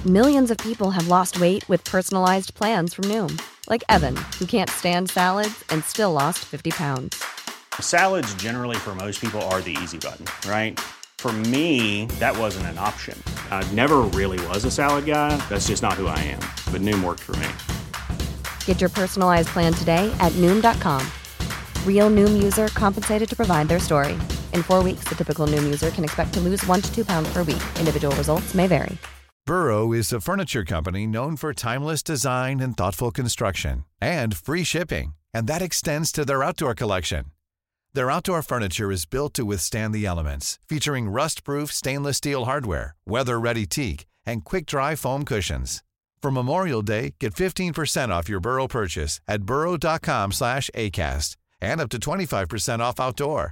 Millions of people have lost weight with personalized plans from Noom. Like Evan, who can't stand salads and still lost 50 pounds. Salads generally for most people are the easy button, right? For me, that wasn't an option. I never really was a salad guy. That's just not who I am. But Noom worked for me. Get your personalized plan today at Noom.com. Real Noom user compensated to provide their story. In 4 weeks, the typical Noom user can expect to lose 1 to 2 pounds per week. Individual results may vary. Burrow is a furniture company known for timeless design and thoughtful construction, and free shipping, and that extends to their outdoor collection. Their outdoor furniture is built to withstand the elements, featuring rust-proof stainless steel hardware, weather-ready teak, and quick-dry foam cushions. For Memorial Day, get 15% off your Burrow purchase at burrow.com/acast, and up to 25% off outdoor.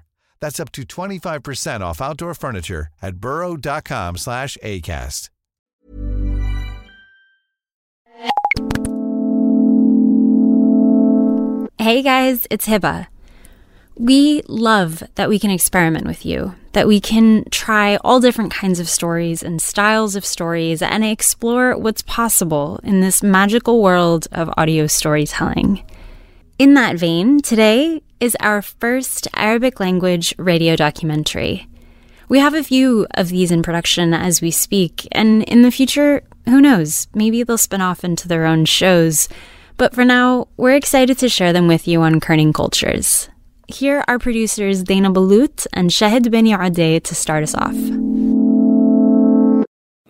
That's up to 25% off outdoor furniture at burrow.com/acast. Hey guys, it's Hiba. We love that we can experiment with you, that we can try all different kinds of stories and styles of stories and explore what's possible in this magical world of audio storytelling. In that vein, today is our first Arabic language radio documentary. We have a few of these in production as we speak, and in the future, who knows, maybe they'll spin off into their own shows. But for now, we're excited to share them with you on Kerning Cultures. Here are producers Dana Balut and Shahid Beni Adey to start us off.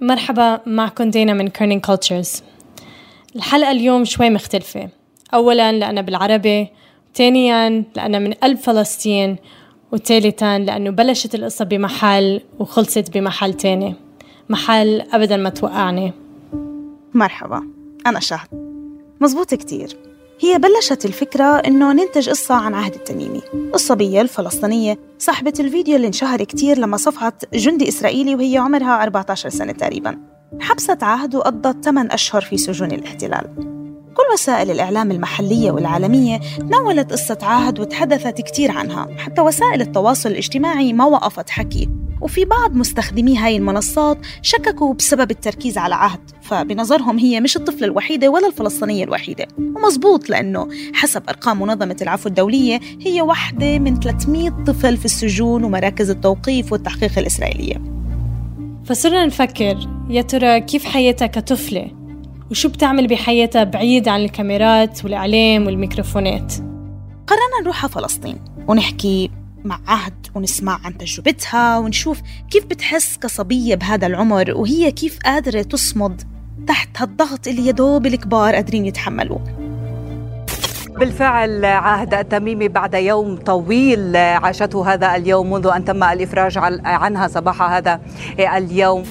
مرحبا، معكم دينا من Kerning Cultures. الحلقة اليوم شوي مختلفة. أولاً لأننا بالعربي، ثانياً لأننا من قلب فلسطين، وثالثاً لأنه بلشت القصة بمحل وخلصت بمحل تاني، محل أبداً ما توقعني. مرحبا، أنا شهد. مزبوط كتير. هي بلشت الفكرة إنه ننتج قصة عن عهد التميمي، الصبية الفلسطينية صاحبة الفيديو اللي انشهر كتير لما صفعت جندي إسرائيلي وهي عمرها 14 سنة تقريباً. حبست عهد وقضت 8 أشهر في سجون الاحتلال. كل وسائل الإعلام المحلية والعالمية تناولت قصة عهد وتحدثت كتير عنها، حتى وسائل التواصل الاجتماعي ما وقفت حكي، وفي بعض مستخدمي هاي المنصات شككوا بسبب التركيز على عهد، فبنظرهم هي مش الطفلة الوحيدة ولا الفلسطينية الوحيدة. ومزبوط، لأنه حسب أرقام منظمة العفو الدولية هي واحدة من 300 طفل في السجون ومراكز التوقيف والتحقيق الإسرائيلية. فصرنا نفكر يا ترى كيف حياتها كطفلة، وشو بتعمل بحياتها بعيد عن الكاميرات والإعلام والميكروفونات. قررنا نروح على فلسطين ونحكي مع عهد ونسمع عن تجربتها ونشوف كيف بتحس كصبية بهذا العمر، وهي كيف قادرة تصمد تحت هالضغط اللي يدوب الكبار قادرين يتحملوه. بالفعل عهد التميمي بعد يوم طويل عاشته هذا اليوم منذ أن تم الإفراج عنها صباح هذا اليوم.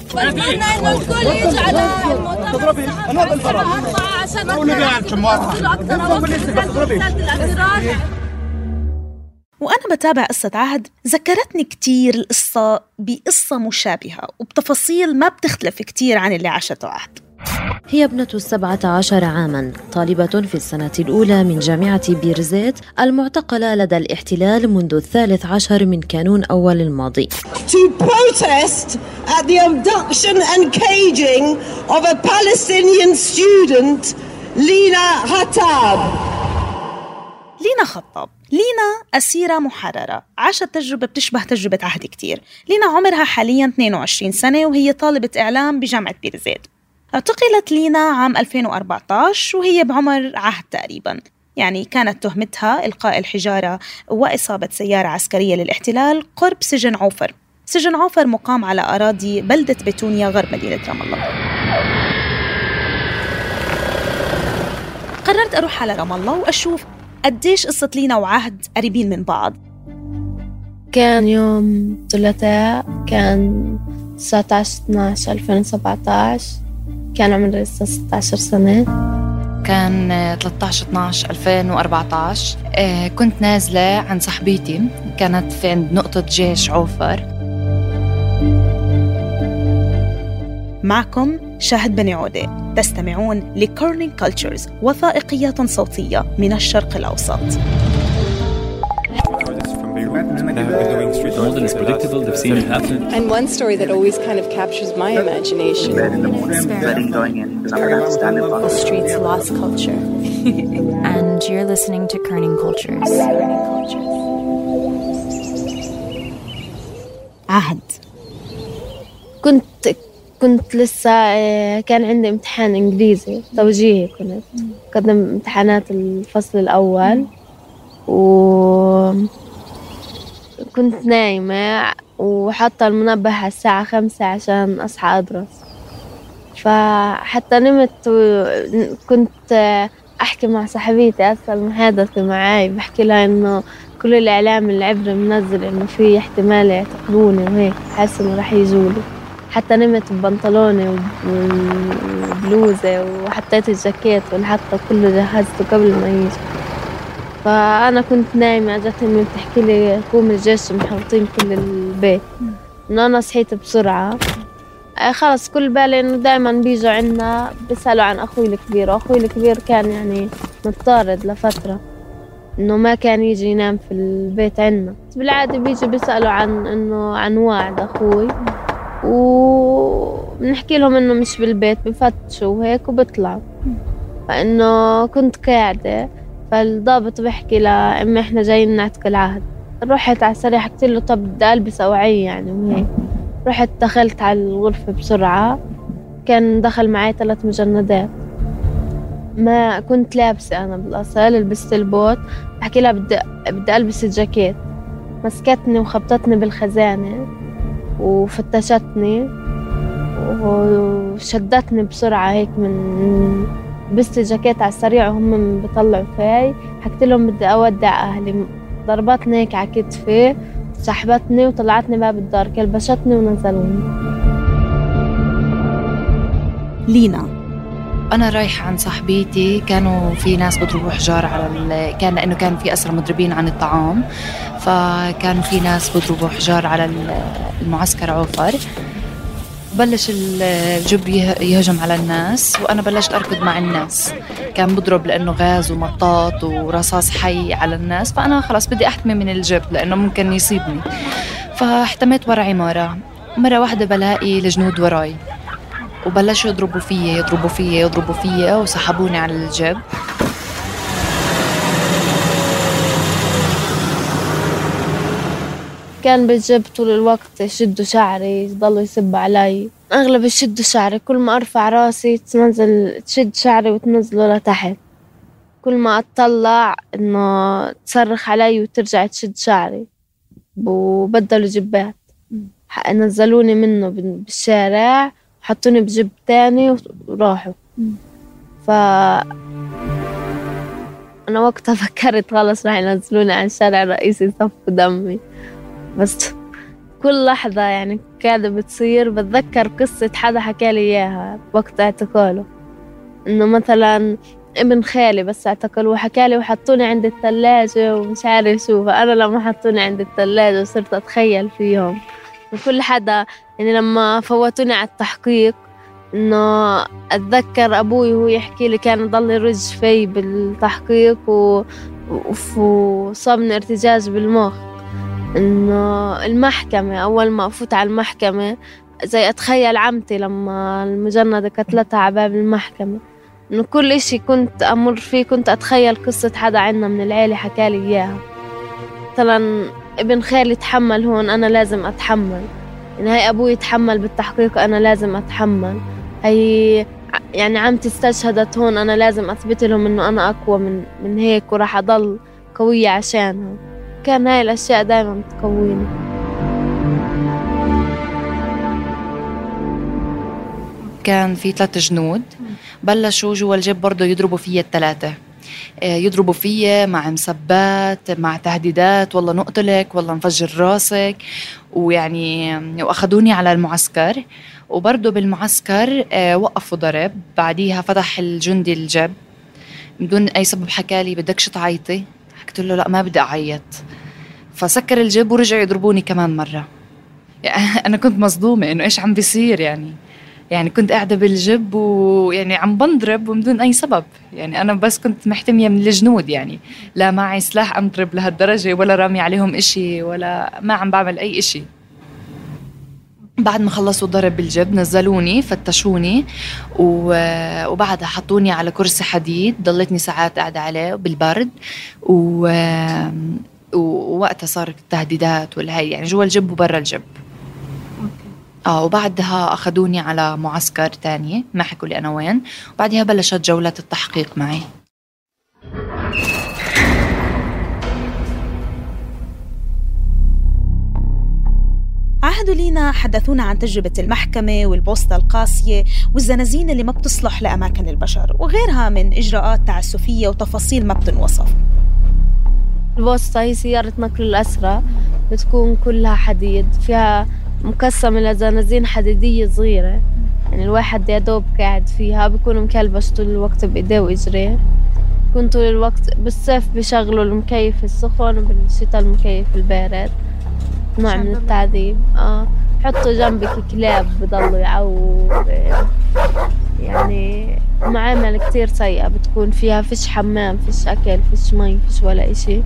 وأنا بتابع قصة عهد ذكرتني كتير القصة بقصة مشابهة وبتفاصيل ما بتختلف كتير عن اللي عاشته عهد. هي ابنة 17 عاماً، طالبة في السنة الأولى من جامعة بيرزيت المعتقلة لدى الاحتلال منذ 13 من كانون أول الماضي. To protest at the abduction and caging of a Palestinian student, Lina Khattab. لينا خطاب. لينا أسيرة محررة، عاشت تجربة بتشبه تجربة عهد كتير. لينا عمرها حالياً 22 سنة وهي طالبة إعلام بجامعة بيرزيت. اعتقلت لينا عام 2014 وهي بعمر عهد تقريباً، يعني كانت تهمتها إلقاء الحجارة وإصابة سيارة عسكرية للاحتلال قرب سجن عوفر. سجن عوفر مقام على أراضي بلدة بيتونيا غرب مدينة رام الله. قررت أروح على رام الله وأشوف قديش قصة لينا وعهد قريبين من بعض. كان يوم ثلاثاء، كان 19/12/2017، كان عمري لسه 16 سنة. كان 13/12/2014. كنت نازلة عند صاحبتي، كانت في عند نقطة جيش عوفر. معكم شاهد بني عودة، تستمعون لكيرنينج كولتشرز، وثائقيات صوتية من الشرق الأوسط. and it's predictable. They've seen it happen. And one story that always kind of captures my imagination. The streets lost culture. And you're listening to Kerning Cultures. عهد. كنت لسه كان عندي امتحان إنجليزي توجيهي، كنت قدم امتحانات الفصل الأول، وكنت نايمة وحاطة المنبه على الساعة 5 عشان أصحى أدرس. فحتى نمت وكنت أحكي مع صاحبتي أصل المحادثة معاي، بحكي لها إنه كل الإعلام العبري منزل إنه في احتمال يعتقلوني وهيك، حاسة إنه رح يجولي. حتى نمت ببنطلوني وبلوزة وحطيت الجاكيت والحطة كله جهزته قبل ما يجي. فأنا كنت نايمة، جت أمي بتحكي لي قوم الجيش محوطين كل البيت. إنه أنا صحيت بسرعة، خلص كل بالي إنه دائما بيجوا عنا بيسألوا عن أخوي الكبير، وأخوي الكبير كان يعني متطارد لفترة، إنه ما كان يجي ينام في البيت عنا. بالعادة بيجي بيسألوا عن وعد أخوي، وبنحكي لهم إنه مش بالبيت، بفتشوا وهيك وبطلعوا. فإنه كنت قاعدة، فالضابط بحكي لأمي إحنا جايين نعتق العهد. رحت على السريع حكيت له طب بدي ألبس أوعية يعني وهيك. رحت دخلت على الغرفة بسرعة، كان دخل معي 3 مجندات. ما كنت لابسة أنا بالأصل، لبست البوت. بحكي لها بدي ألبس الجاكيت، مسكتني وخبطتني بالخزانة وفتشتني وشدتني بسرعة هيك من لبست الجاكيت على السريع وهم بيطلعوا فيي. حكيت لهم بدي أودع أهلي، ضربتني هيك على كتفي، سحبتني وطلعتني باب الدار، كلبشتني ونزلوني. لينا أنا رايحة عند صاحبتي، كانوا في ناس بضربوا حجار على كان لأنه كان في أسرى مضربين عن الطعام، فكانوا في ناس بضربوا حجار على المعسكر عوفر. بلش الجب يهجم على الناس، وأنا بلشت أركض مع الناس. كان بضرب لأنه غاز ومطاط ورصاص حي على الناس، فأنا خلاص بدي أحتمي من الجب لأنه ممكن يصيبني. فاحتميت ورا عمارة، مرة واحدة بلاقي الجنود وراي وبلشوا يضربوا فيي وسحبوني على الجب. كان بالجب طول الوقت يشدوا شعري، يضلوا يسبوا علي. أغلب يشدوا شعري، كل ما أرفع راسي تشد شعري وتنزله لتحت. كل ما أطلع إنه تصرخ علي وترجع تشد شعري، وبدلوا جبات. نزلوني منه بالشارع، حطوني بجب تاني وراحوا. أنا وقتها فكرت خلص راح ينزلوني على الشارع الرئيسي يصفوا دمي. بس كل لحظة يعني قاعدة بتصير بتذكر قصة حدا حكالي إياها وقت اعتقاله. إنه مثلا ابن خالي بس اعتقلوه، حكالي وحطوني عند الثلاجة ومش عارف شو. فأنا لما حطوني عند الثلاجة وصرت أتخيل فيهم. وكل حدا يعني لما فوتوني على التحقيق، إنه أتذكر أبوي وهو يحكي لي كان يضل يرج في بالتحقيق وصابني ارتجاج بالمخ. إنه المحكمة أول ما أفوت على المحكمة زي أتخيل عمتي لما المجندة قتلتها على باب المحكمة. إنه كل إشي كنت أمر فيه كنت أتخيل قصة حدا عنا من العيلة حكالي إياها. مثلا ابن خالي تحمل هون، أنا لازم أتحمل. يعني هاي أبوي يتحمل بالتحقيق، أنا لازم أتحمل. هاي يعني عمتي استشهدت هون، أنا لازم أثبت لهم إنه أنا أقوى من هيك وراح أضل قوية عشانها. كان هاي الأشياء دايما تقويني. كان في 3 جنود بلشوا جوا الجيب برضو يضربوا فيا ال3، يضربوا فيا مع مسبات، مع تهديدات، والله نقتلك، والله نفجر راسك. ويعني وأخذوني على المعسكر، وبرضو بالمعسكر وقفوا ضرب. بعديها فتح الجندي الجب بدون أي سبب، حكالي بدكش تعيطي؟ حكيت له لا ما بدي أعيط. فسكر الجب ورجعوا يضربوني كمان مرة. يعني أنا كنت مصدومة إنه إيش عم بيصير. يعني يعني كنت قاعدة بالجب ويعني عم بنضرب ومن دون أي سبب. يعني أنا بس كنت محتمية من الجنود، يعني لا معي سلاح أضرب لهالدرجة ولا رامي عليهم إشي ولا ما عم بعمل أي إشي. بعد ما خلصوا ضرب بالجب نزلوني فتشوني وبعدها حطوني على كرسي حديد، ضلتني ساعات قاعدة عليه بالبرد ووقتها صارت التهديدات والهاي يعني جوا الجب وبرا الجب. وبعدها أخذوني على معسكر تاني، ما حكوا لي أنا وين، وبعدها بلشت جولة التحقيق معي. عهدوا لينا حدثونا عن تجربة المحكمة والبوسطة القاسية والزنازين اللي ما بتصلح لأماكن البشر وغيرها من إجراءات تعسفية وتفاصيل ما بتنوصف. البوسطة هي سيارة نقل الأسرى، بتكون كلها حديد، فيها مقسمة لزنازين حديدية صغيرة، يعني الواحد يا دوب قاعد فيها، بيكونوا مكلبش طول الوقت بإيديه وإجريه، بيكون طول الوقت بالصيف بيشغلوا المكيف السخن وبالشتاء المكيف البارد، نوع من التعذيب. حطوا جنبك كلاب بضلوا يعور، يعني معاملة كتير سيئة بتكون فيها، فيش حمام، فيش أكل، فيش مي، فيش ولا إشي.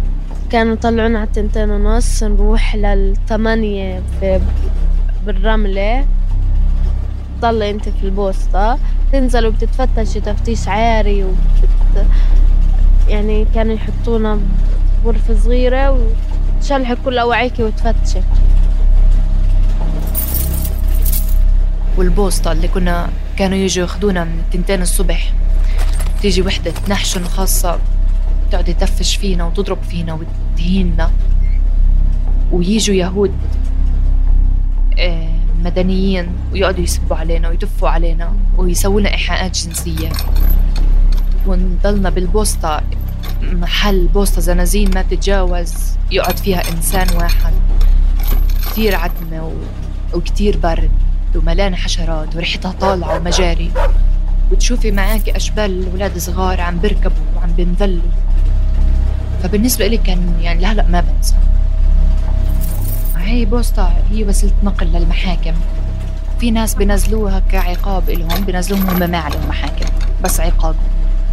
كانوا يطلعونا على 2:30 نروح 8 بالرملة، تضلي انت في البوسطة، تنزلوا بتتفتشي تفتيش عاري يعني كانوا يحطونا بغرفة صغيرة وتشلحوا كل أوعيكي وتفتشي. والبوسطة اللي كانوا يجوا ياخدونا من 2 الصبح، تيجي وحدة نحشن خاصة تقعد تفش فينا وتضرب فينا وتهيننا، ويجوا يهود مدنيين ويقعدوا يسبوا علينا ويتفوا علينا ويسوونا إيحاءات جنسية، ونضلنا بالبوسطة محل بوسطة زنازين ما تتجاوز يقعد فيها إنسان واحد، كتير عتمة وكتير برد وملانة حشرات وريحتها طالعة ومجاري، وتشوفي معاك أشبال ولاد صغار عم بركبوا وعم بنذلوا. فبالنسبة لي كان يعني لهلأ ما بنسى. هي بوسطة هي وسيلة نقل للمحاكم، في ناس بنزلوها كعقاب إلهم، بنزلوهم هم ما عليهم محاكم بس عقاب،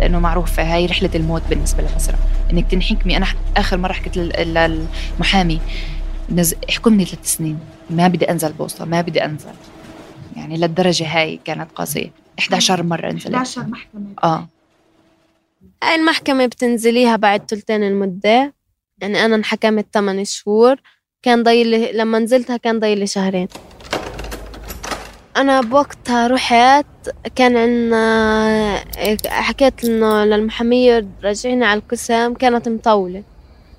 لأنه معروف هاي رحلة الموت بالنسبة للأسرى، إنك تنحكمي. أنا آخر مرة حكيت للمحامي احكمني 3 سنين، ما بدي أنزل بوسطة، ما بدي أنزل، يعني للدرجة هاي كانت قاسية. 11 مرة نزلت. 11 محكمة. هاي المحكمة بتنزليها بعد 2 المدة، يعني أنا انحكمت 8 شهور، كان ضايلي لما نزلتها كان ضايلي 2 شهر. أنا بوقتها رحت، كان عنا حكيت إنه للمحامية رجعيني على القسم، كانت مطولة،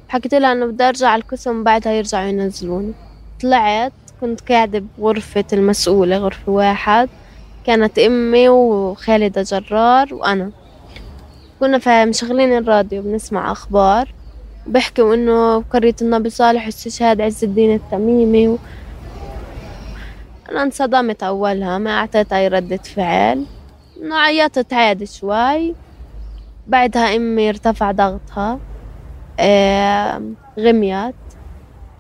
حكيت لها إنه بدي أرجع على القسم بعدها يرجعوا ينزلوني. طلعت كنت قاعدة بغرفة المسؤولة، غرفة 1، كانت أمي وخالدة جرار وأنا، كنا مشغلين الراديو بنسمع أخبار، بحكوا إنه قرية النبي صالح واستشهاد عز الدين التميمي أنا انصدمت أولها، ما أعطيت أي ردة فعل، إنه عيطت عادي شوي. بعدها أمي ارتفع ضغطها، غميت،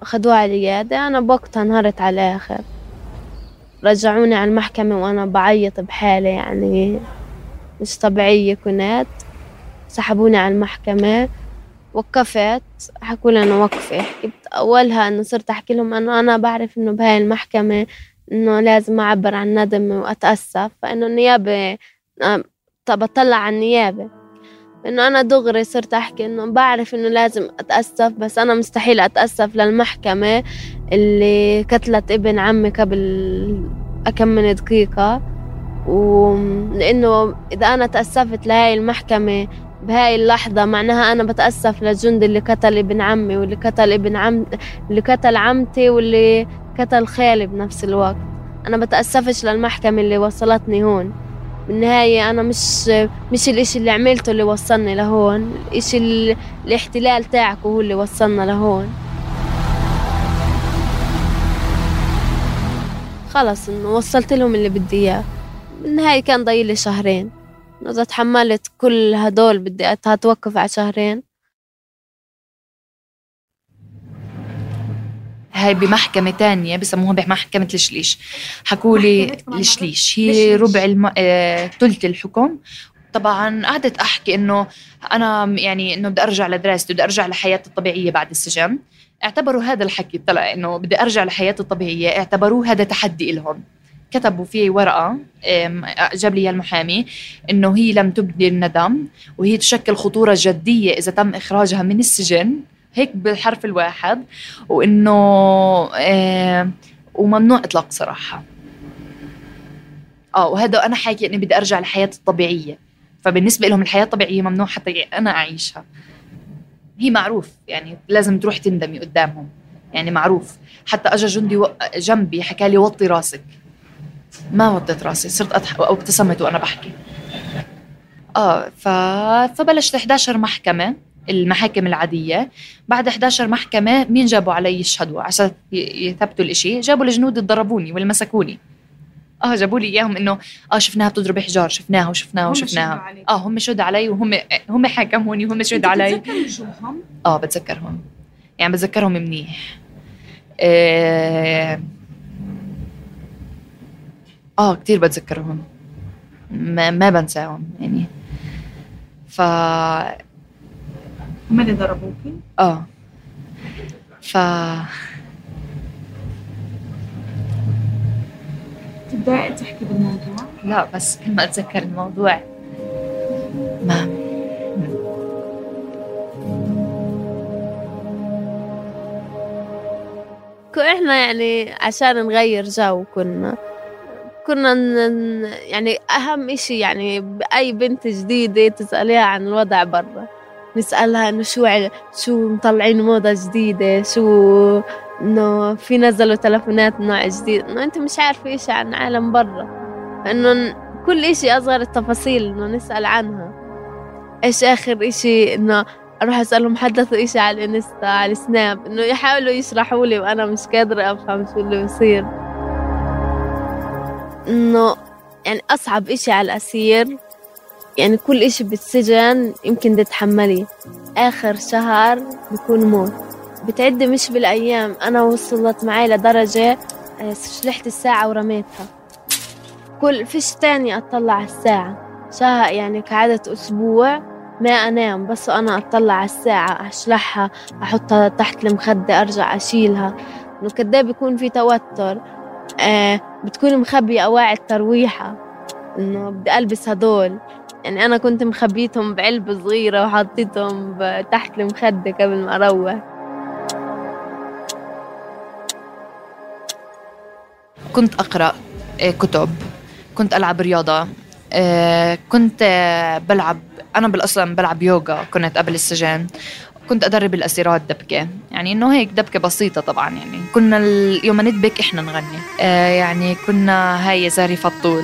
أخذوها على العيادة. أنا بوقتها انهارت على الآخر، رجعوني على المحكمة وأنا بعيط بحالة يعني مش طبيعية كنت. سحبوني على المحكمة، وقفت، حكوا لي أنا وقفة. حكيت أولها أنه صرت أحكي لهم أنه أنا بعرف أنه بهاي المحكمة أنه لازم أعبر عن ندم وأتأسف، فإنه النيابة بطلع عن النيابة، إنه أنا دغري صرت أحكي إنه بعرف إنه لازم أتأسف، بس أنا مستحيل أتأسف للمحكمة اللي قتلت ابن عمي قبل أكم من دقيقة، لأنه إذا أنا تأسفت لهاي المحكمة بهاي اللحظة معناها أنا بتأسف للجندي اللي قتل ابن عمي واللي قتل اللي قتل عمتي واللي قتل خالي بنفس الوقت. أنا بتأسفش للمحكمة اللي وصلتني هون. بالنهاية أنا مش الإشي اللي عملته اللي وصلني لهون، الإشي الاحتلال تاعكو هو اللي وصلنا لهون. خلص إنه وصلت لهم اللي بدي إياه. بالنهاية كان ضايلي 2 شهر، إذا تحملت كل هدول بدي أتوقف على 2 شهر. هاي بمحكمة تانية بسموها بمحكمة الشليش. حكولي الشليش هي ربع ثلث الحكم. طبعا قعدت أحكي إنه أنا يعني إنه بدي أرجع لدراستي، بدي أرجع لحياتي الطبيعية بعد السجن. اعتبروا هذا الحكي طلع إنه بدي أرجع لحياتي الطبيعية، اعتبروه هذا تحدي إلهم. كتبوا فيه ورقة جاب لي المحامي إنه هي لم تبدي الندم، وهي تشكل خطورة جدية إذا تم إخراجها من السجن، هيك بالحرف الواحد، وإنه وممنوع إطلاق سراحها. وهذا أنا حاكي إني بدي أرجع لحياتي الطبيعية، فبالنسبة لهم الحياة الطبيعية ممنوع حتى أنا أعيشها. هي معروف يعني لازم تروح تندمي قدامهم، يعني معروف. حتى أجا جندي جنبي حكى لي وطي راسك، ما وطيت راسي، صرت أضحك أو ابتسمت وأنا بحكي. فبلشت 11 محكمة، المحاكم العادية. بعد 11 محكمة مين جابوا علي يشهدوا عشان يثبتوا الإشي؟ جابوا الجنود ضربوني والمسكوني. جابوا لي إياهم إنه شفناها بتضرب حجار، شفناها وشفناها. هم شهدوا علي وهم حاكموني وهم شهدوا علي. بتذكرهم يعني بتذكرهم منيح. كتير بتذكرهم، ما بنساهم يعني. هم اللي ضربوكي؟ تبدأ تحكي بالموضوع؟ لا، بس كل ما أتذكر الموضوع ما إحنا يعني عشان نغير جو كنا يعني أهم إشي يعني بأي بنت جديدة تسأليها عن الوضع برا، نسألها إنه شو مطلعين موضة جديدة، شو إنه في نزلوا تلفونات نوع جديد، إنه أنت مش عارفة إشي عن عالم برا، إنه كل إشي أصغر التفاصيل إنه نسأل عنها. إيش آخر إشي إنه أروح أسألهم حدثوا إشي على الإنستا على السناب، إنه يحاولوا يشرحوا لي وأنا مش قادرة أفهم شو اللي بيصير. إنه يعني أصعب إشي على الأسير يعني كل إشي بالسجن يمكن تتحملي، آخر شهر بيكون موت، بتعد مش بالأيام. أنا وصلت معي لدرجة شلحت الساعة ورميتها، كل فيش تاني أطلع على الساعة شهر يعني كعادة أسبوع ما أنام، بس أنا أطلع على الساعة أشلحها أحطها تحت المخدة أرجع أشيلها. إنه كده بيكون في توتر. بتكون مخبية أواعي الترويحة إنه بدي ألبس هدول، يعني أنا كنت مخبيتهم بعلبة صغيرة وحطيتهم تحت المخدة قبل ما أروح. كنت أقرأ كتب، كنت ألعب رياضة، كنت بلعب، أنا بالأصل بلعب يوغا كنت قبل السجن، كنت أدرب الأسيرات دبكة، يعني إنه هيك دبكة بسيطة طبعا. يعني كنا اليوم ندبك إحنا نغني، يعني كنا هاي يا زاري فطول،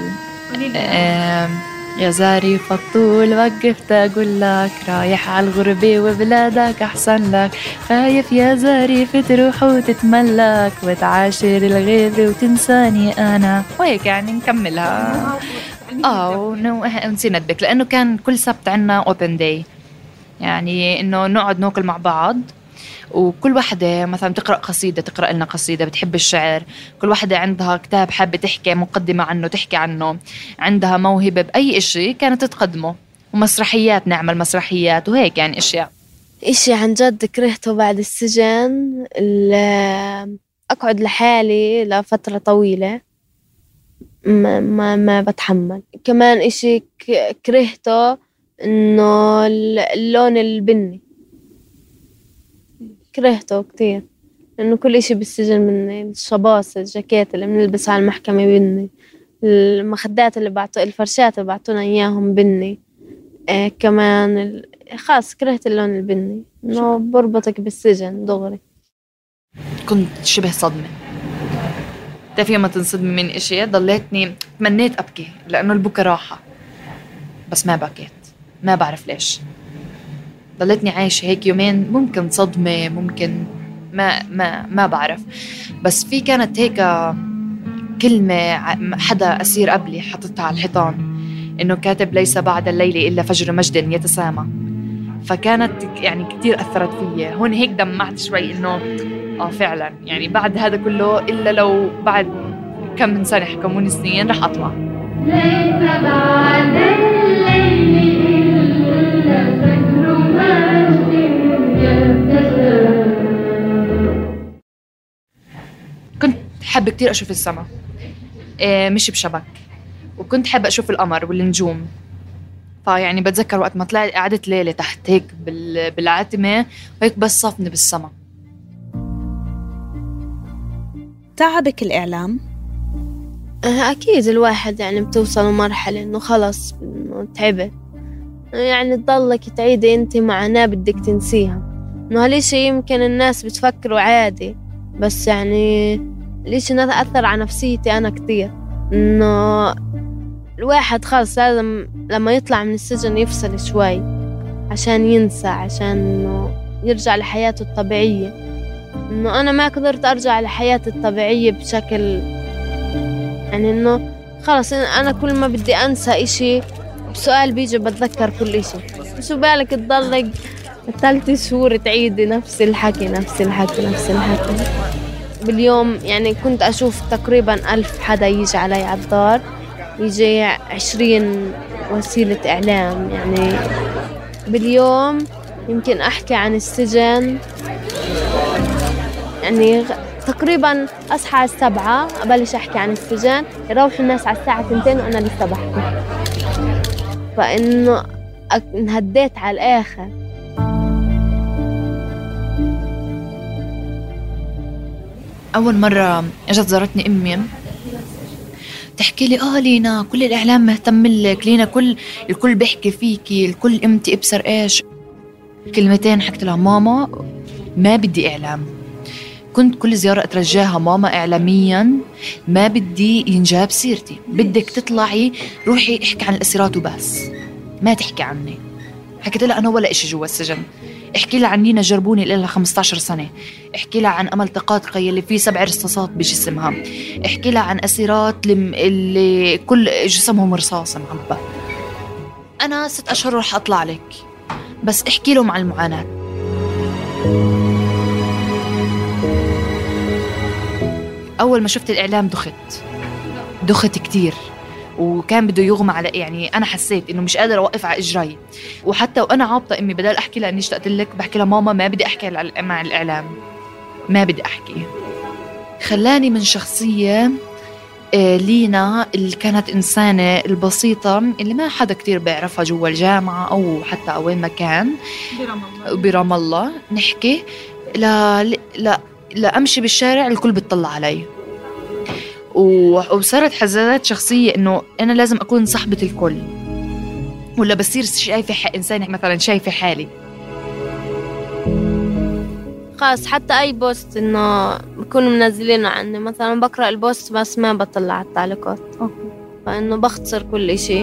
يا زاري فطول وقفت أقول لك رايح على الغربة وبلادك أحسن لك، خايف يا زاري تروح وتتملك وتعاشر الغير وتنساني أنا، وهيك يعني نكملها. ونسينا ندبك لأنه كان كل سبت عنا open day، يعني إنه نقعد ناكل مع بعض، وكل واحدة مثلا تقرأ قصيدة، تقرأ لنا قصيدة، بتحب الشعر، كل واحدة عندها كتاب حابة تحكي مقدمة عنه تحكي عنه، عندها موهبة بأي إشي كانت تقدمه، ومسرحيات نعمل مسرحيات وهيك يعني أشياء. إشي عن جد كرهته بعد السجن أقعد لحالي لفترة طويلة، ما بتحمل. كمان إشي كرهته إنه اللون البني كرهته كتير، لأنه كل إشي بالسجن بني، الشباص، الجاكيت اللي بنلبسها على المحكمة بني، المخدات اللي الفرشات اللي بعطونا إياهم بني. كمان خاص كرهت اللون البني، إنه بربطك بالسجن دغري. كنت شبه صدمة، تعرفي ما تنصدمي من إشي، ضليتني تمنيت أبكي لأنه البكا راحة، بس ما بكيت، ما بعرف ليش. ضلتني عايشة هيك يومين، ممكن صدمة، ممكن ما بعرف، بس في كانت هيك كلمة حدا أسير قبلي حطتها على الحيطان، إنه كاتب ليس بعد الليل إلا فجر مجد يتسامى، فكانت يعني كتير أثرت فيي. هون هيك دمعت شوي، إنه فعلا يعني بعد هذا كله إلا لو بعد كم من سنة حكموني سنين رح أطلع. ليس بعد الليل إلا فجر مجد يبتسم. كنت حابة كتير أشوف السما مش بشبك، وكنت حابة أشوف القمر والنجوم. فيعني بتذكر وقت ما طلعت قعدت ليلة تحت هيك بالعتمة وهيك بس صفني بالسما. تعبك الإعلام؟ أكيد الواحد يعني بتوصل لمرحلة إنه خلص إنه تعبت، يعني تضلك تعيدي أنت معاناة بدك تنسيها. إنه هالشي يمكن الناس بتفكروا عادي، بس يعني ليش أثر على نفسيتي أنا كتير. إنه الواحد خلص لازم لما يطلع من السجن يفصل شوي عشان ينسى، عشان إنه يرجع لحياته الطبيعية. إنه أنا ما قدرت أرجع لحياتي الطبيعية بشكل يعني إنه خلص أنا كل ما بدي أنسى إشي بسؤال بيجي بتذكر كل إشي. شو بالك تضلك 3 شهور تعيدي نفس الحكي باليوم. يعني كنت أشوف تقريبا 1000 حدا يجي علي على الدار، يجي 20 وسيلة إعلام. يعني باليوم يمكن أحكي عن السجن، يعني تقريبا أصحى على 7 أبلش أحكي عن السجن، يروح الناس على الساعة 2 وأنا لسه بحكي. فإنه انهديت على الآخر. أول مرة أجت زارتني أمي تحكي لي لينا كل الإعلام مهتم لك، لينا الكل بيحكي فيكي، الكل امتي ابصر ايش. كلمتين حكت لها ماما ما بدي إعلام. كنت كل زيارة أترجاها ماما إعلاميا ما بدي ينجاب سيرتي، بدك تطلعي روحي احكي عن الأسيرات وبس، ما تحكي عني. حكيت لها أنا ولا إشي جوا السجن. احكي لها عن لينا جربوني لها 15 سنة، احكي لها عن أمل تقاطقي اللي فيه 7 رصاصات بجسمها، احكي لها عن أسيرات اللي كل جسمهم رصاص معبى. أنا 6 أشهر رح أطلع لك، بس احكي لهم عن المعاناة. أول ما شفت الإعلام دخت كتير، وكان بده يغمى على يعني أنا حسيت إنه مش قادر أوقف على إجراي. وحتى وأنا عابطة أمي بدل أحكي لها إني اشتقت لك بحكي لها ماما ما بدي أحكي مع الإعلام، ما بدي أحكي. خلاني من شخصية لينا اللي كانت إنسانة البسيطة اللي ما حدا كتير بيعرفها جوا الجامعة أو حتى وين ما كان برام الله نحكي لا أمشي بالشارع الكل بتطلع علي. وصارت حزازات شخصية إنه أنا لازم أكون صاحبة الكل، ولا بصير شايفة إنسان مثلا شايفة حالي. خلاص حتى أي بوست إنه بكونوا منزلينه عني مثلا بقرأ البوست بس ما بطلع على التعليقات، فإنه بختصر كل إشي.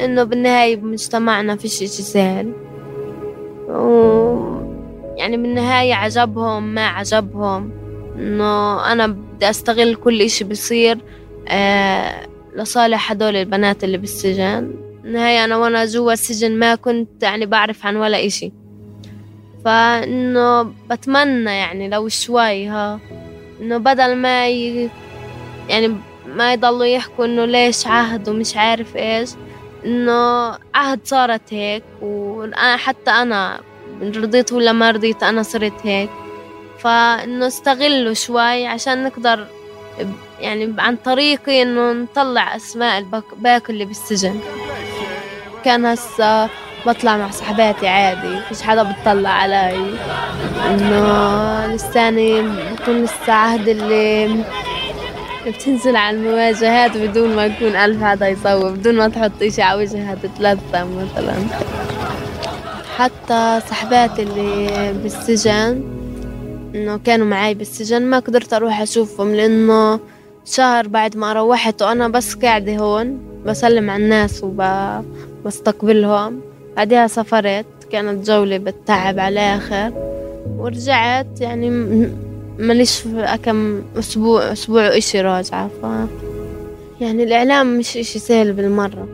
إنه بالنهاية بمجتمعنا فيش إشي سهل، يعني بالنهاية عجبهم ما عجبهم، إنه أنا بدي أستغل كل إشي بيصير لصالح هدول البنات اللي بالسجن. بالنهاية أنا وأنا جوا السجن ما كنت يعني بعرف عن ولا إشي، فإنه بتمنى يعني لو شوي إنه بدل ما يعني ما يضلوا يحكوا إنه ليش عهد ومش عارف إيش، إنه عهد صارت هيك، وأنا حتى أنا رضيت ولا ما رضيت أنا صرت هيك. فإنه استغلوا شوي عشان نقدر يعني عن طريقي إنه نطلع أسماء الباقي اللي بالسجن. كان هسه بطلع مع صحباتي عادي، فيش حدا بتطلع علي، إنه لساني بكون لسه عهد اللي بتنزل على المواجهات بدون ما يكون 1000 حدا يصور، بدون ما تحط إشي على وجهها تتلثم مثلا. حتى صحباتي اللي بالسجن إنه كانوا معي بالسجن ما قدرت أروح أشوفهم، لأنه شهر بعد ما روحت وأنا بس قاعدة هون بسلم على الناس وبستقبلهم. بعدها سافرت، كانت جولة بالتعب على آخر، ورجعت يعني ماليش كم أسبوع إشي راجعة. يعني الإعلام مش إشي سهل بالمرة.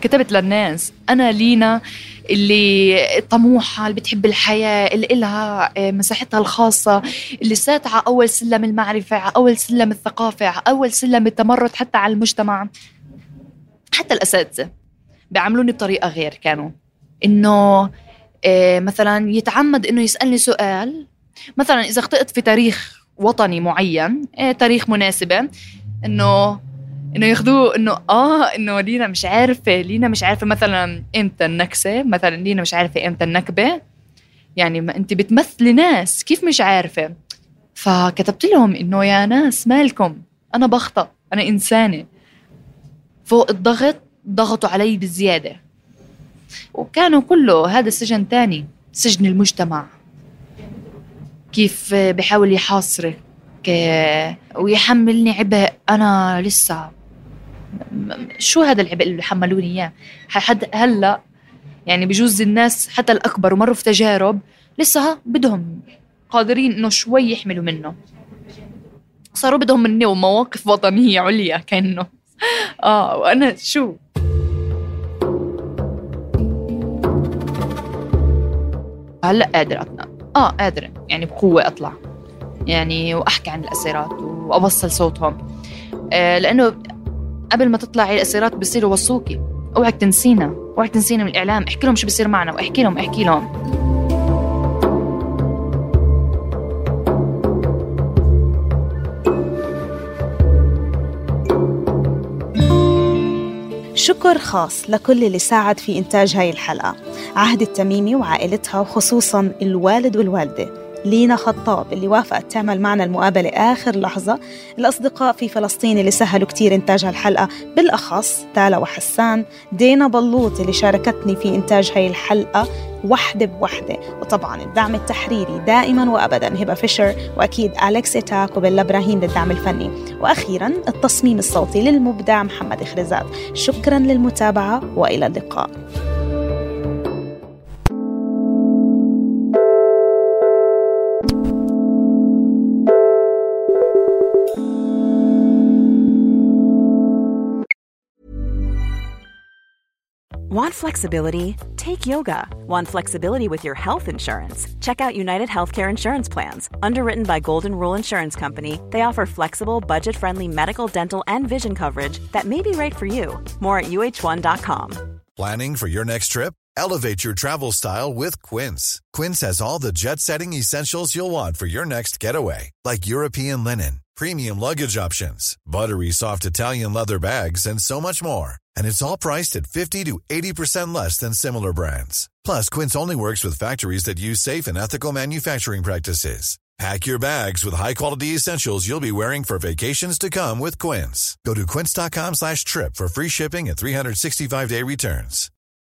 كتبت للناس أنا لينا اللي طموحة، اللي بتحب الحياة، اللي إلها مساحتها الخاصة، اللي ساتعة أول سلم المعرفة، أول سلم الثقافة، أول سلم التمرد حتى على المجتمع. حتى الأساتذة بيعملوني بطريقة غير، كانوا إنه مثلا يتعمد إنه يسألني سؤال، مثلا إذا اخطأت في تاريخ وطني معين، تاريخ مناسبة، إنه ياخذوه إنه لينا مش عارفة مثلا إمتى النكسة، مثلا لينا مش عارفة إمتى النكبة، يعني ما أنت بتمثلي ناس كيف مش عارفة. فكتبت لهم إنه يا ناس مالكم، أنا بخطأ، أنا إنسانة. فوق الضغط ضغطوا علي بزيادة، وكانوا كله هذا سجن تاني، سجن المجتمع، كيف بيحاول يحاصرك ويحملني عبء. أنا لسه شو هذا العبء اللي حملوني إياه حد هلأ؟ يعني بجوز الناس حتى الأكبر ومروا في تجارب لسه بدهم قادرين إنه شوي يحملوا منه، صاروا بدهم مني ومواقف وطنية عليا كأنه وأنا شو. هلأ قادرة قادرة يعني بقوة أطلع يعني وأحكي عن الأسيرات وأوصل صوتهم، لأنه قبل ما تطلعي الأسيرات بيصيروا وصوكي، اوعك تنسينا من الإعلام، احكي لهم شو بيصير معنا، واحكي لهم. شكر خاص لكل اللي ساعد في إنتاج هاي الحلقة: عهد التميمي وعائلتها، وخصوصاً الوالد والوالدة، لينا خطاب اللي وافقت تعمل معنا المقابلة آخر لحظة، الأصدقاء في فلسطين اللي سهلوا كتير إنتاج هالحلقة، بالأخص تالا وحسان، دينا بلوط اللي شاركتني في إنتاج هاي الحلقة وحدة بوحدة، وطبعاً الدعم التحريري دائماً وأبداً هبة فيشر، وأكيد أليكس إتاك وبيلا إبراهيم للدعم الفني، وأخيراً التصميم الصوتي للمبدع محمد إخرزات. شكراً للمتابعة وإلى اللقاء. Want flexibility? Take yoga. Want flexibility with your health insurance? Check out United Healthcare Insurance Plans. Underwritten by Golden Rule Insurance Company, they offer flexible, budget-friendly medical, dental, and vision coverage that may be right for you. More at uh1.com. Planning for your next trip? Elevate your travel style with Quince. Quince has all the jet-setting essentials you'll want for your next getaway, like European linen, premium luggage options, buttery soft Italian leather bags, and so much more. And it's all priced at 50 to 80% less than similar brands. Plus, Quince only works with factories that use safe and ethical manufacturing practices. Pack your bags with high-quality essentials you'll be wearing for vacations to come with Quince. Go to quince.com/trip for free shipping and 365-day returns.